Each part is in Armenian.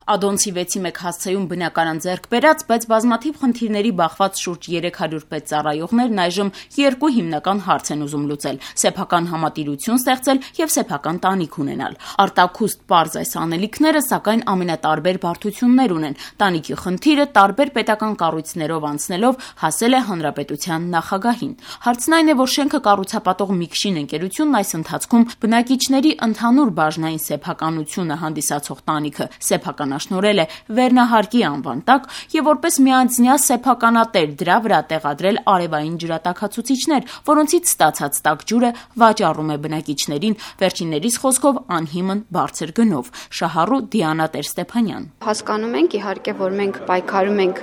Ադոնցի 6-1 հասցեում բնականon ձեռք բերած, բայց բազմաթիվ խնդիրների բախված շուրջ 300 պետծառայողներն այժմ երկու հիմնական հարց են ուզում լուծել՝ սեփական համատիրություն ստեղծել եւ սեփական տանիք ունենալ։ Արտաքուստ պարզ այս անելիքները, սակայն ամենատարբեր բարդություններ ունեն։ Տանիքի խնդիրը տարբեր պետական կառույցներով անցնելով հասել է հանրապետության նախագահին։ Հարցն այն է, որ շենքը կառուցապատող Միքշին ընկերությունն այս ընթացքում բնակիչների ընդհանուր բաժնային սեփականությունը հանդիսացող տանիքը սեփականաշնորհել է վերնահարկի անվան տակ եւ որպես միանձնյա սեփականատեր դրա վրա տեղադրել արևային ջրատաքացուցիչներ, որոնցից ստացած տաք ջուրը վաճառում է բնակիչներին, վերջիններիս խոսքով անհիմն բարձր գնով։ Շահառու Դիանա Տեր-Ստեփանյան: Հասկանում ենք իհարկե, որ մենք պայքարում ենք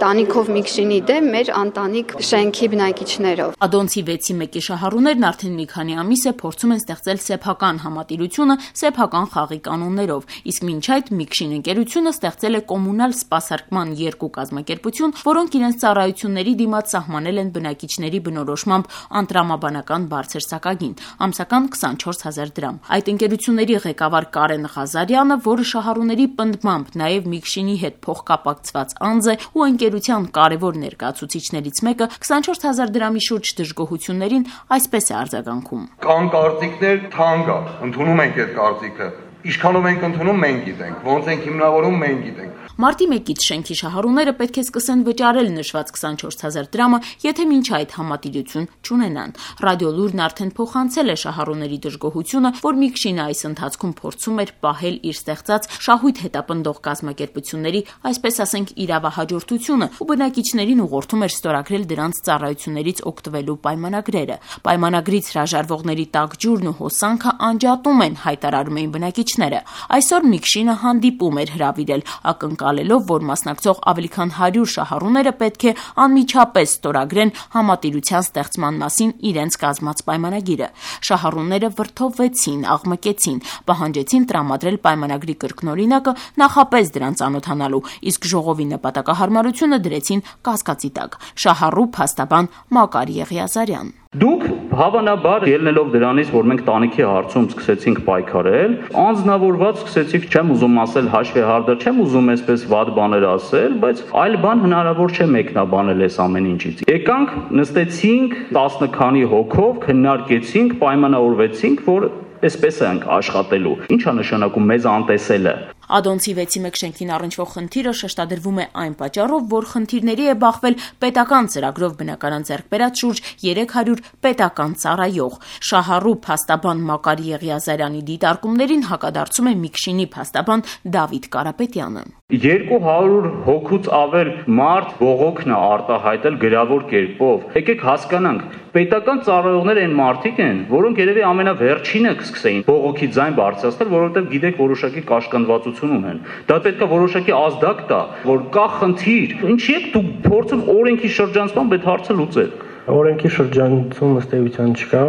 տանիքով Միքշինի դեմ մեր անտանիք շենքի բնակիչներով։ Ադոնցի 6-1-ի շահառուներն արդեն մի քանի ամիս է փորձում են ստեղծել սեփական համատիրությունը սեփական խաղի կանոններով, իսկ մինչ այդ Միքշին ընկերությունը ստեղծել է կոմունալ սպասարկման երկու կազմակերպություն, որոնք իրենց ծառայությունների դիմաց սահմանել են բնակիչների բնորոշմամբ անտրամաբանական բարձր սակագին՝ ամսական 24,000 դրամ։ Այդ ընկերությունների ղեկավար Կարեն Ղազարյանը, որը շահառուների պնդմամբ նաև Միքշինի հետ փոխկապակցված անձ է ու ընկերության կարևոր ներկայացուցիչներից մեկը, 24,000 դրամի շուրջ դժգոհություններին այսպես է արձագանքում. Կան կարծիքներ, թանկ է, ընդունում ենք այդ կարծիքը։ Ինչքանով ենք ընդունում, մենք գիտենք, ոնց ենք հիմնավորում, մենք գիտենք։ Մարտի 1-ից շենքի շահառուները պետք է սկսեն վճարել նշված 24,000 դրամը, եթե մինչ այդ համատիրություն չունենան։ Ռադիոլուրն արդեն փոխանցել է շահառուների դժգոհությունը, որ Միքշինը այս ընթացքում փորձում էր պահել իր ստեղծած շահույթ հետապնդող կազմակերպությունների, այսպես ասենք, իրավահաջորդությունը ու բնակիչներին ուղղորդում էր ստորագրել դրանց ծառայություններից օգտվելու պայմանագրերը։ Պայմանագրից հրաժարվողների տաք ջուրն ու հոսանքը անջատում են, հայտարարում էին բնակիչները։ Այսօր Միքշինը հանդիպում էր հրավիրել, ակնկալելով, որ մասնակցող ավելի քան 100 շահառուները պետք է անմիջապես ստորագրեն համատիրության ստեղծման մասին իրենց կազմած պայմանագիրը։ Շահառուները վրդովվեցին, աղմկեցին, պահանջեցին տրամադրել պայմանագրի կրկնօրինակը նախապես դրան ծանոթանալու, իսկ ժողովի նպատակահարմարությունը դրեցին կասկածի տակ։ Շահառու փաստաբան Մակար Եղիազարյան: Դուք հավանաբար ելնելով դրանից, որ մենք տանիքի հարցում սկսեցինք պայքարել, անձնավորված սկսեցիք, չեմ ուզում ասել հաշվեհարդար, չեմ ուզում այսպես վատ բաներ ասել, բայց այլ բան հնարավոր չէ մեկնաբանել այս ամեն ինչից։ Եկանք, նստեցինք 10 քանի հոգով, քննարկեցինք, պայմանավորվեցինք, որ այսպես ենք աշխատելու։ Ինչ է նշանակում մեզ անտեսելը։ Ադոնցի 6-1 շենքին առնչվող խնդիրը շեշտադրվում է այն պատճառով, որ խնդիրների է բախվել պետական ծրագրով բնականon ձեռք բերած շուրջ 300 պետական ծառայող։ Շահառու փաստաբան Մակար Եղիազարյանի դիտարկումներին հակադարձում է Միքշինի փաստաբան Դավիթ Կարապետյանը: 200 հոգուց ավել մարդ բողոքն է արտահայտել գրավոր կերպով։ Եկեք հասկանանք, պետական ծառայողները այն մարդիկ են, որոնք երևի ամենավերջինը կսկսեին բողոքի ձայն բարձրացնել, որովհետև գիտեք որոշակի կաշկանդվածություն ունեն։ Դա պետք է որոշակի ազդակ տա, որ կա խնդիր։ Ինչի՞ եք դուք փորձում օրենքի շրջանցմամբ այդ հարցը լուծել։ Օրենքի շրջանցում ըստ էության չկա։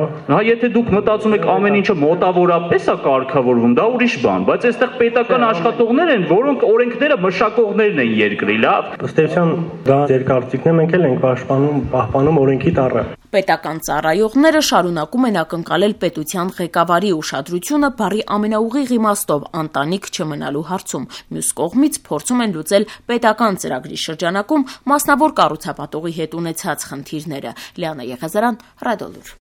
Եթե դուք մտածում եք ամեն ինչը մոտավորապես է կարգավորվում, դա ուրիշ բան, բայց այստեղ պետական աշխատողներ են, որոնք օրենքները մշակողներն են երկրի, լավ։ Ըստ էության դա ձեր կարծիքն է, մենք էլ ենք պահպանում օրենքի տառը։ Պետական ծառայողները շարունակում են ակնկալել պետության ղեկավարի ուշադրությունը բառի ամենաուղիղ իմաստով անտանիք չմնալու հարցում։ Մյուս կողմից փորձում են լուծել պետական ծրագրի շրջանակում մասնավոր կառուցապատողի հետ ունեցած խնդիրները։ Լիանա Եղիազարյան, Ռադիոլուր։